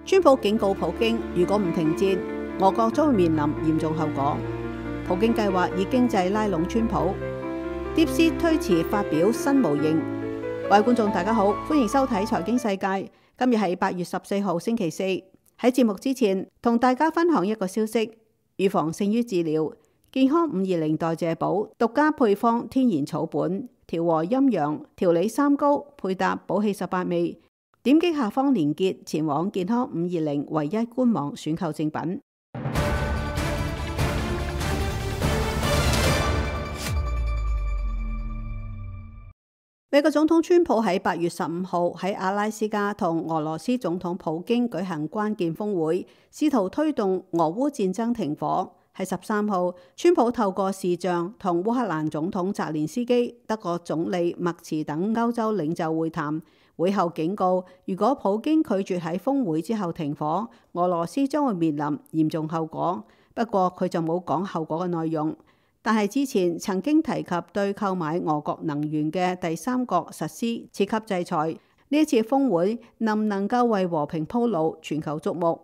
川普警告普京，如果唔停戰，俄國將會面臨嚴重後果。普京計劃以經濟拉攏川普。DeepSeek 推遲發表新模型。各位觀眾大家好，歡迎收睇財經世界。今日係8月14號星期四。喺節目之前，同大家分享一個消息：預防勝於治療。健康520代謝寶獨家配方天然草本，調和陰陽，調理三高，配搭寶氣18味。點擊下方連結，前往健康520唯一官網選購正品。美國總統川普喺8月15號喺阿拉斯加同俄羅斯總統普京舉行關鍵峰會，試圖推動俄烏戰爭停火。喺13號，川普透過視像同烏克蘭總統澤連斯基、德國總理默茨等歐洲領袖會談。會後警告，如果普京拒絕喺峰會之後停火，俄羅斯將會面臨嚴重後果。不過佢就冇講後果嘅內容。但係之前曾經提及對購買俄國能源嘅第三國實施次級制裁。呢一次峰會能唔能夠為和平鋪路，全球矚目。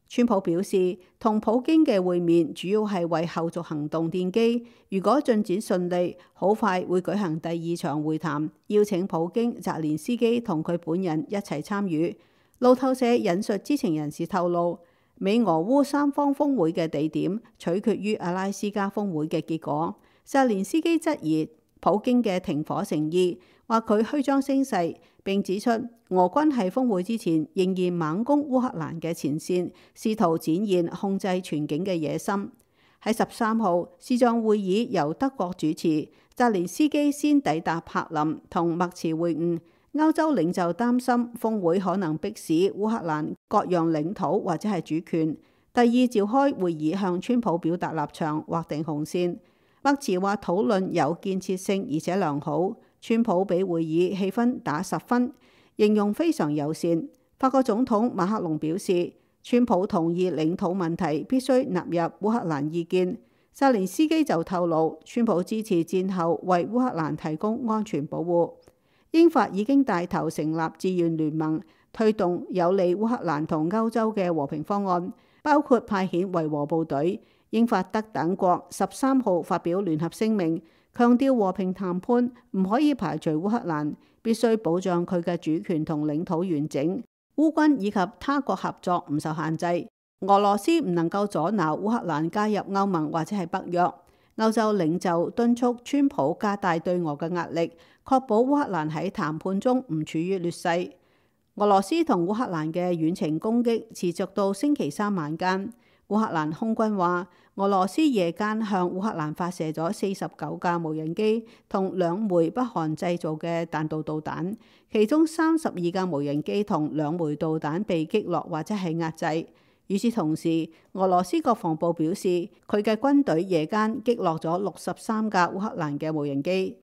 川普表示，同普京嘅會面主要係為後續行動奠基。如果進展順利，好快會舉行第2場會談，邀請普京、澤連斯基同佢本人一齊參與。路透社引述知情人士透露，美俄烏三方峰會嘅地點取決於阿拉斯加峰會嘅結果。澤連斯基質疑普京嘅停火誠意，話佢虛張聲勢，並指出俄軍喺峰會之前仍然猛攻烏克蘭嘅前線，試圖展現控制全境嘅野心。喺13號，視像會議由德國主持，澤連斯基先抵達柏林同默茨會晤。歐洲領袖擔心峰會可能迫使烏克蘭割讓領土或者係主權。第2召開會議向川普表達立場，劃定紅線。默茨話討論有建設性而且良好。川普俾會議氣氛打10分，形容非常友善。法國總統馬克龍表示，川普同意領土問題必須納入烏克蘭意見。澤連斯基就透露，川普支持戰後為烏克蘭提供安全保護。英法已經帶頭成立志願聯盟，推動有利烏克蘭同歐洲嘅和平方案，包括派遣維和部隊。英法德等國13號發表聯合聲明，強調和平談判唔可以排除烏克蘭，必須保障佢嘅主權同領土完整。烏軍以及他國合作唔受限制。俄羅斯唔能夠阻撓烏克蘭加入歐盟或者係北約。歐洲領袖敦促川普加大對俄嘅壓力，確保烏克蘭喺談判中唔處於劣勢。俄羅斯同烏克蘭嘅遠程攻擊持續到星期3晚間。烏克蘭空軍話，俄羅斯夜間向烏克蘭發射咗49架無人機同2枚北韓製造嘅彈道導彈，其中32架無人機同2枚導彈被擊落或者係壓制。與此同時，俄羅斯國防部表示，佢嘅軍隊夜間擊落咗63架烏克蘭嘅無人機。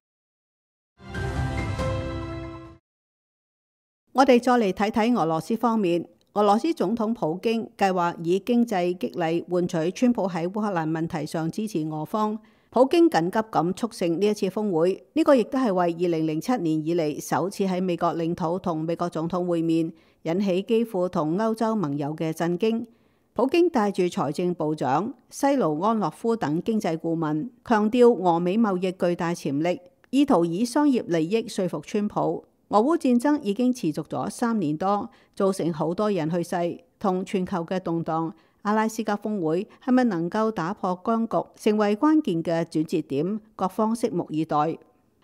我哋再嚟睇睇俄羅斯方面。俄羅斯總統普京計劃以經濟激勵換取川普喺烏克蘭問題上支持俄方。普京緊急咁促成呢一次峰會，呢個亦都係為2007年以嚟首次喺美國領土同美國總統會面，引起基輔同歐洲盟友嘅震驚。普京帶住財政部長西盧安諾夫等經濟顧問，強調俄美貿易巨大潛力，意圖以商業利益說服川普。俄烏戰爭已經持續咗3年多，造成好多人去世同全球嘅動盪。阿拉斯加峰會係咪能夠打破僵局，成為關鍵嘅轉折點？各方拭目以待。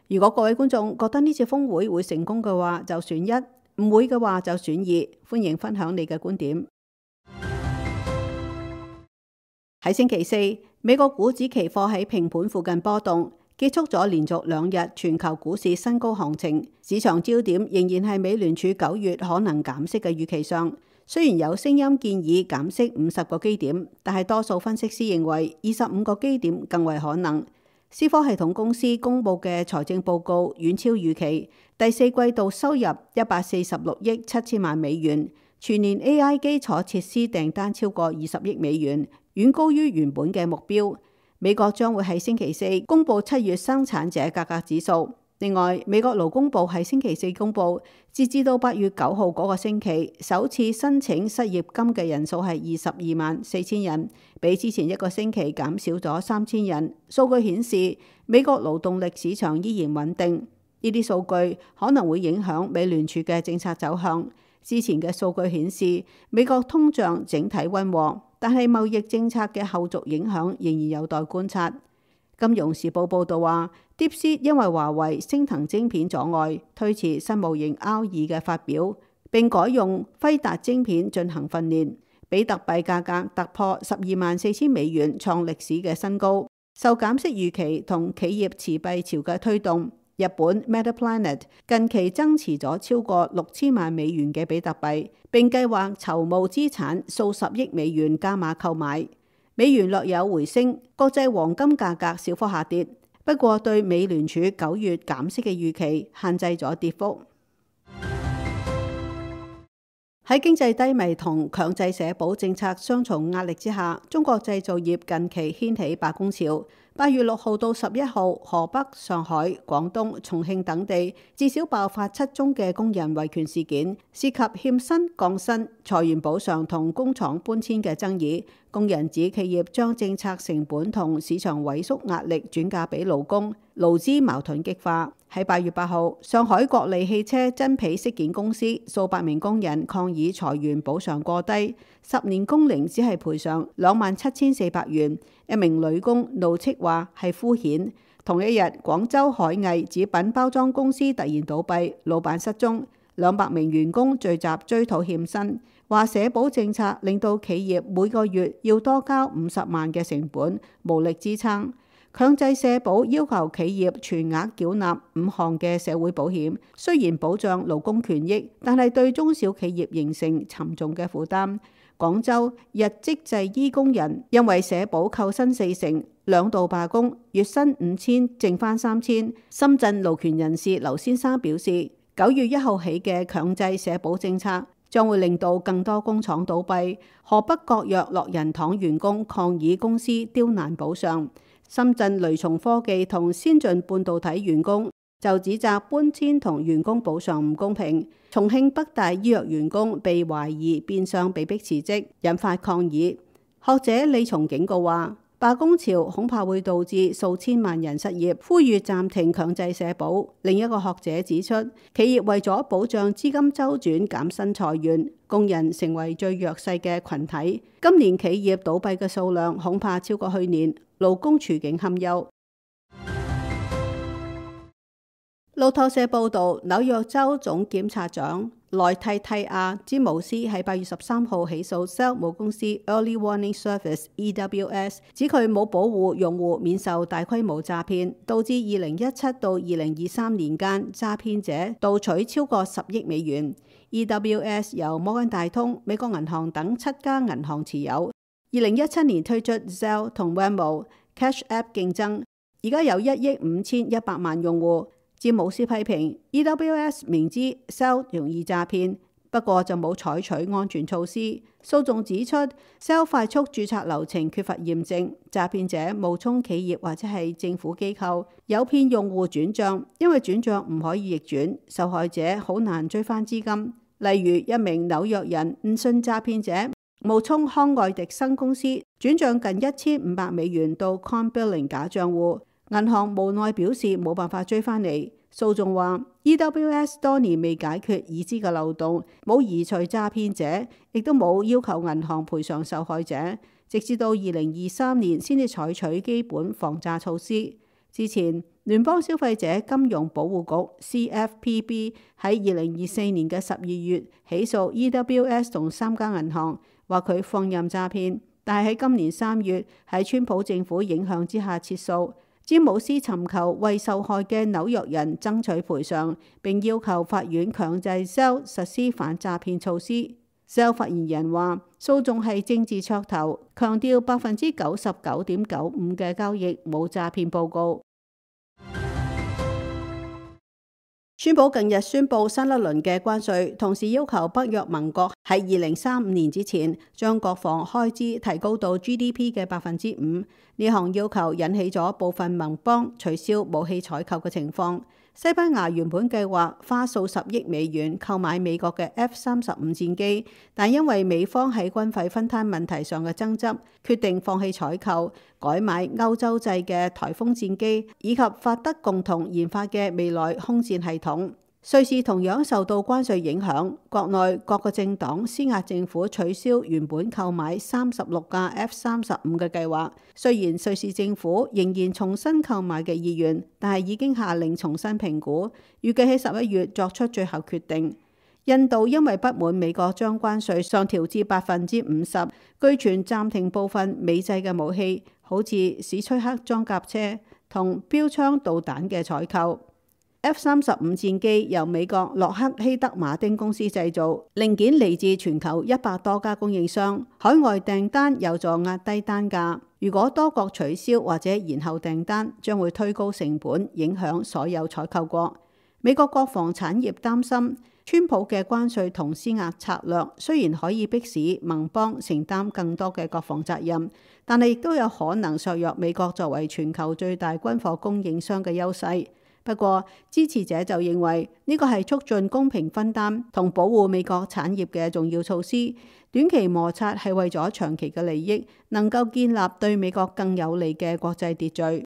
如果各位觀眾覺得呢次峰會會成功嘅話，就選1；唔會嘅話就選2。歡迎分享你嘅觀點。喺星期4，美國股指期貨喺平盤附近波動，結束咗連續2日全球股市新高行情。市場焦點仍然係美聯儲9月可能減息嘅預期上。雖然有聲音建議減息50個基點，但係多數分析師認為25個基點更為可能。思科系統公司公佈嘅財政報告遠超預期，第4季度收入146億7千萬美元，全年 AI 基礎設施訂單超過20億美元，遠高於原本嘅目標。美國將會喺星期4公佈7月生產者價格指數，另外，美國勞工部喺星期四公佈，截至到8月9號嗰個星期，首次申請失業金嘅人數係224000人，比之前一個星期減少咗3000人。數據顯示，美國勞動力市場依然穩定。呢啲數據可能會影響美聯儲嘅政策走向。之前嘅數據顯示，美國通脹整體溫和，但係貿易政策嘅後續影響仍然有待觀察。金融時報報導話，DeepSeek因為華為升騰晶片阻礙，推遲新模型 R2嘅發表，並改用輝達晶片進行訓練。比特幣價格突破124000美元，創歷史嘅新高。受減息預期同企業持幣潮嘅推動，日本 Metaplanet 近期增持咗超過6000萬美元嘅比特幣，並計劃籌募資產數十億美元加碼購買。美元略有回升，國際黃金價格小幅下跌，不過對美聯儲9月減息嘅預期限制咗跌幅。喺經濟低迷同強制社保政策雙重壓力之下，中國製造業近期掀起罷工潮。8月6號到11號，河北、上海、廣東、重慶等地至少爆發7宗嘅工人維權事件，涉及欠薪、降薪、裁員補償同工廠搬遷嘅爭議。工人指企業將政策成本同市場萎縮壓力轉嫁俾勞工，勞資矛盾激化。喺8月8號，上海國利汽車真皮飾件公司數百名工人抗議裁員補償過低，10年工齡只係賠償27400元。一名女工怒斥話係敷衍。同一日，廣州海藝紙品包裝公司突然倒閉，老闆失蹤，200名員工聚集追討欠薪，話社保政策令到企業每個月要多交50萬嘅成本，無力支撐。強制社保要求企業全額繳納5項嘅社會保險，雖然保障勞工權益，但係對中小企業形成沉重嘅負擔。廣州日職製衣工人因為社保扣薪40%，兩度罷工，月薪5000，剩翻3000。深圳勞權人士劉先生表示，9月1號起嘅強制社保政策將會令到更多工廠倒閉。河北國藥樂仁堂員工抗議公司刁難補償。深圳雷松科技同先進半導體員工就指責搬遷同員工補償唔公平。重慶北大醫藥員工被懷疑變相被迫辭職，引發抗議。學者李松警告話，罷工潮恐怕會導致數千萬人失業，呼籲暫停強制社保。另一個學者指出，企業為咗保障資金周轉減薪裁員，工人成為最弱勢嘅群體。今年企業倒閉嘅數量恐怕超過去年，勞工處境堪憂。路透社報導，紐約州總檢察長萊蒂蒂亞·詹姆斯喺8月13號起訴 Zelle 母公司 Early Warning Service (EWS)，指佢冇保護用戶免受大規模詐騙，導致2017到2023年間詐騙者盜取超過10億美元。EWS 由摩根大通、美國銀行等7家銀行持有。2017年推出 Zelle 同 Venmo、Cash App 競爭，而家有1億5100萬用戶。詹姆斯批評 EWS 明知 Zelle 容易詐騙，不過就冇採取安全措施。訴訟指出 Zelle 快速註冊流程缺乏驗證，詐騙者冒充企業或者係政府機構，誘騙用戶轉帳，因為轉帳唔可以逆轉，受害者好難追翻資金。例如一名紐約人誤信詐騙者，冒充康愛迪生公司轉帳近1500美元到 Coinbilling 假帳戶。銀行無奈表示冇辦法追返嚟。訴訟話 EWS 多年未解決已知嘅漏洞，冇移除詐騙者，亦都冇要求銀行賠償受害者，直至到2023年先至採取基本防詐措施。之前聯邦消費者金融保護局 CFPB 喺2024年嘅12月起訴 EWS 同3家銀行，話佢放任詐騙，但係喺今年3月喺川普政府影響之下撤訴。詹姆斯尋求為受害嘅紐約人爭取賠償，並要求法院強制 Zelle 實施反詐騙措施。Zelle 發言人話：訴訟係政治噱頭，強調99.95%嘅交易冇詐騙報告。川普近日宣布新一輪嘅關稅，同時要求北約盟國喺2035年之前將國防開支提高到 GDP 嘅5%。呢項要求引起咗部分盟邦取消武器採購嘅情況。西班牙原本計劃花數十億美元購買美國嘅 F-35戰機，但因為美方喺軍費分攤問題上嘅爭執，決定放棄採購，改買歐洲製嘅颱風戰機，以及法德共同研發嘅未來空戰系統。瑞士同樣受到關稅影響，國內各個政黨施壓政府取消原本購買36架 F-35嘅計劃。雖然瑞士政府仍然重新購買嘅意願，但係已經下令重新評估，預計喺11月作出最後決定。印度因為不滿美國將關稅上調至50%，據傳暫停部分美製嘅武器，好似史崔克裝甲車同標槍導彈嘅採購。F-35戰機由美國洛克希德馬丁公司製造，零件嚟自全球100多家供應商，海外訂單有助壓低單價。如果多國取消或者延後訂單，將會推高成本，影響所有採購國。美國國防產業擔心，川普嘅關稅同施壓策略雖然可以迫使盟邦承擔更多嘅國防責任，但係亦都有可能削弱美國作為全球最大軍火供應商嘅優勢。不過，支持者就認為呢個係促進公平分擔同保護美國產業嘅重要措施。短期摩擦係為咗長期嘅利益，能夠建立對美國更有利嘅國際秩序。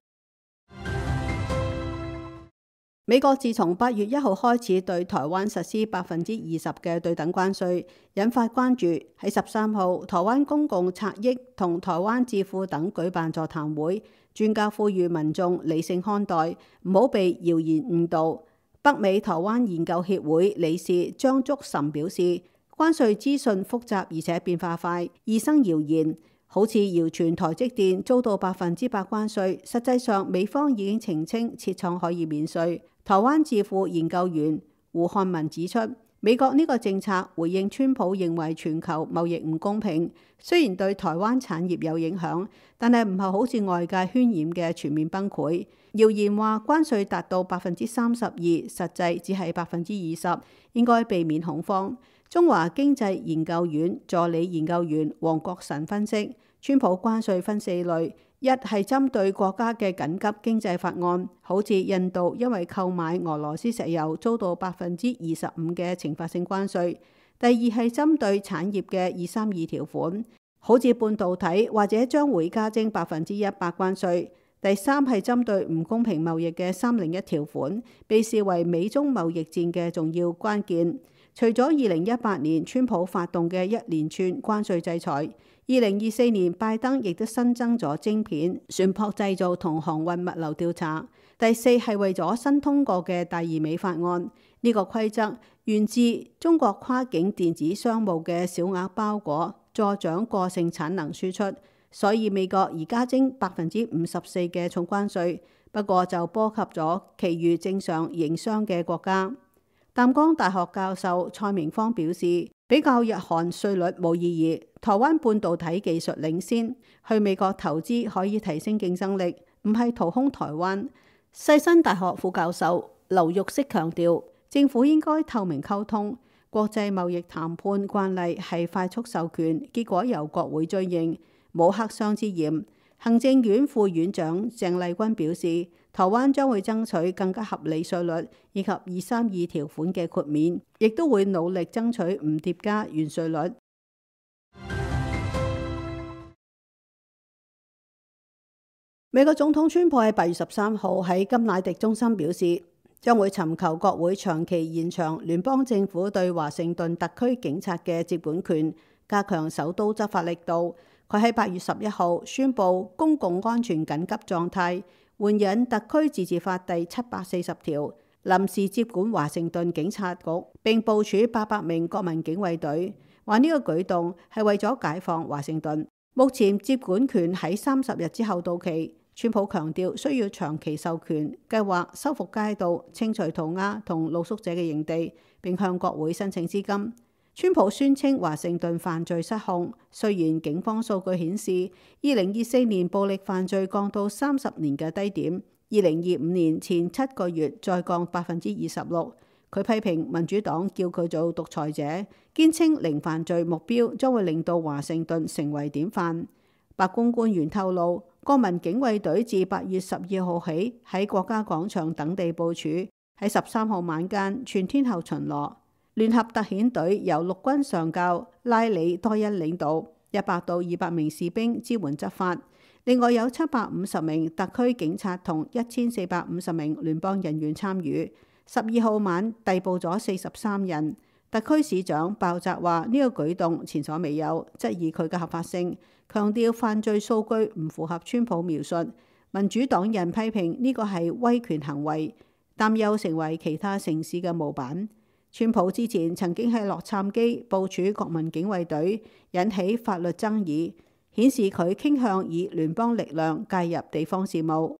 美國自從8月1號開始對台灣實施20%嘅對等關稅，引發關注。喺13號，台灣公共策益同台灣智庫等舉辦座談會，專家呼籲民眾理性看待，唔好被謠言誤導。北美台灣研究協會理事張竹岑表示，關稅資訊複雜而且變化快，易生謠言。好似謠傳台積電遭到100%關稅，實際上美方已經澄清設廠可以免稅。台灣智庫研究員胡漢文指出，美國呢個政策回應川普認為全球貿易唔公平，雖然對台灣產業有影響，但係唔係好似外界渲染嘅全面崩潰。謠言話關稅達到32%，實際只係20%，應該避免恐慌。中華經濟研究院助理研究員黃國臣分析，川普關稅分4類。一係針對國家嘅緊急經濟法案，好似印度因為購買俄羅斯石油遭到25%嘅懲罰性關稅；第二係針對產業嘅232條款，好似半導體或者將會加徵100%關稅；第三係針對唔公平貿易嘅301條款，被視為美中貿易戰嘅重要關鍵。除咗2018年川普發動嘅一連串關稅制裁，2024年拜登亦都新增咗晶片、船舶製造同航運物流調查。第四係為咗新通過嘅第二美法案，呢個規則源自中國跨境電子商務嘅小額包裹助長過剩產能輸出，所以美國而家徵54%嘅重關稅，不過就波及咗其餘正常營商嘅國家。淡江大學教授蔡明芳表示，比較日韓稅率冇意義，台灣半導體技術領先，去美國投資可以提升競爭力，唔係掏空台灣。世新大學副教授劉玉適強調，政府應該透明溝通，國際貿易談判慣例係快速授權，結果由國會追認，冇黑箱之嫌。行政院副院長鄭麗君表示，台灣將會爭取更加合理稅率以及232條款嘅豁免，亦都會努力爭取唔疊加原稅率。美國總統川普喺8月13號喺甘迺迪中心表示，將會尋求國會長期延長聯邦政府對華盛頓特區警察嘅接管權，加強首都執法力度。佢喺8月11號宣布公共安全緊急狀態，援引特區自治法第740條，臨時接管華盛頓警察局，並部署800名國民警衛隊。話呢個舉動係為咗解放華盛頓。目前接管權喺30日之後到期。川普強調需要長期授權，計劃修復街道、清除塗鴉同露宿者嘅營地，並向國會申請資金。川普宣稱華盛頓犯罪失控，雖然警方數據顯示2024年暴力犯罪降到30年嘅低點，2025年前7個月再降26%。佢批評民主黨叫佢做獨裁者，堅稱零犯罪目標將會令到華盛頓成為典範。白宮官員透露，國民警衛隊自8月12號起喺國家廣場等地部署，喺13號晚間全天候巡邏。聯合特遣隊由陸軍上校拉里多恩領導，100到200名士兵支援執法。另外有750名特區警察同1450名聯邦人員參與。12號晚逮捕咗43人。特區市長鮑澤話呢個舉動前所未有，質疑佢嘅合法性，強調犯罪數據唔符合川普描述。民主黨人批評呢個係威權行為，擔憂成為其他城市嘅模板。川普之前曾經喺洛杉磯部署國民警衛隊，引起法律爭議，顯示佢傾向以聯邦力量介入地方事務。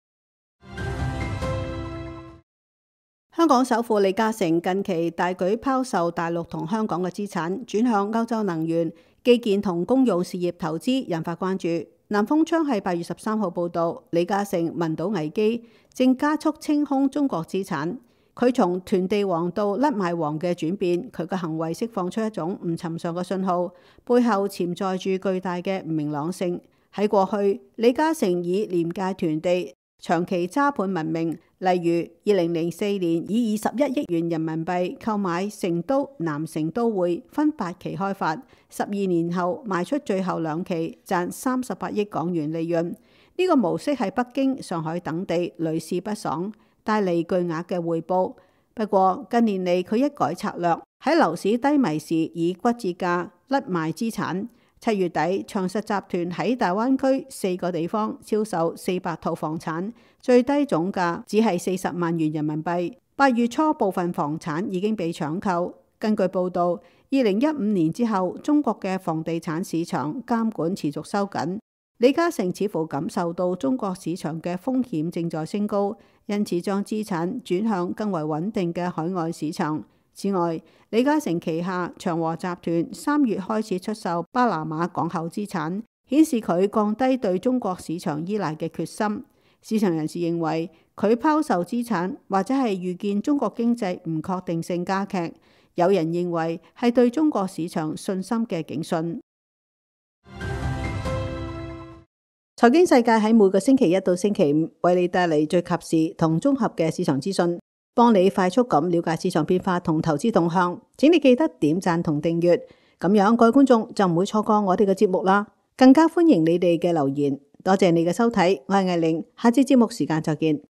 香港首富李嘉誠近期大舉拋售大陸同香港嘅資產，轉向歐洲能源、基建同公用事業投資，引發關注。南風窗喺8月13號報導，李嘉誠聞到危機，正加速清空中國資產。佢從囤地王到甩賣王嘅轉變，佢嘅行為釋放出一種唔尋常嘅信號，背後潛在住巨大嘅唔明朗性。喺過去，李嘉誠以廉價囤地、長期揸盤聞名，例如2004年以21億元人民幣購買成都南城都會，分8期開發，12年後賣出最後2期，賺38億港元利潤。呢個模式喺北京、上海等地屢試不爽，帶嚟巨額嘅回報。不過近年嚟佢一改策略，喺樓市低迷時以骨折價甩賣資產。7月底，長實集團喺大灣區4個地方銷售400套房產，最低總價只係40萬元人民幣。8月初部分房產已經被搶購。根據報導，2015年之後，中國嘅房地產市場監管持續收緊。李嘉誠似乎感受到中國市場嘅風險正在升高，因此將資產轉向更為穩定嘅海外市場。此外，李嘉誠旗下長和集團3月開始出售巴拿馬港口資產，顯示佢降低對中國市場依賴嘅決心。市場人士認為，佢拋售資產或者係預見中國經濟唔確定性加劇，有人認為係對中國市場信心嘅警訊。財經世界喺每個星期1到星期5為你帶嚟最及時同綜合嘅市場資訊，幫你快速咁了解市場變化同投資動向。請你記得點讚同訂閱，咁樣各位觀眾就唔會錯過我哋嘅節目啦。更加歡迎你哋嘅留言。多謝你嘅收睇，我係艾玲，下次節目時間再見。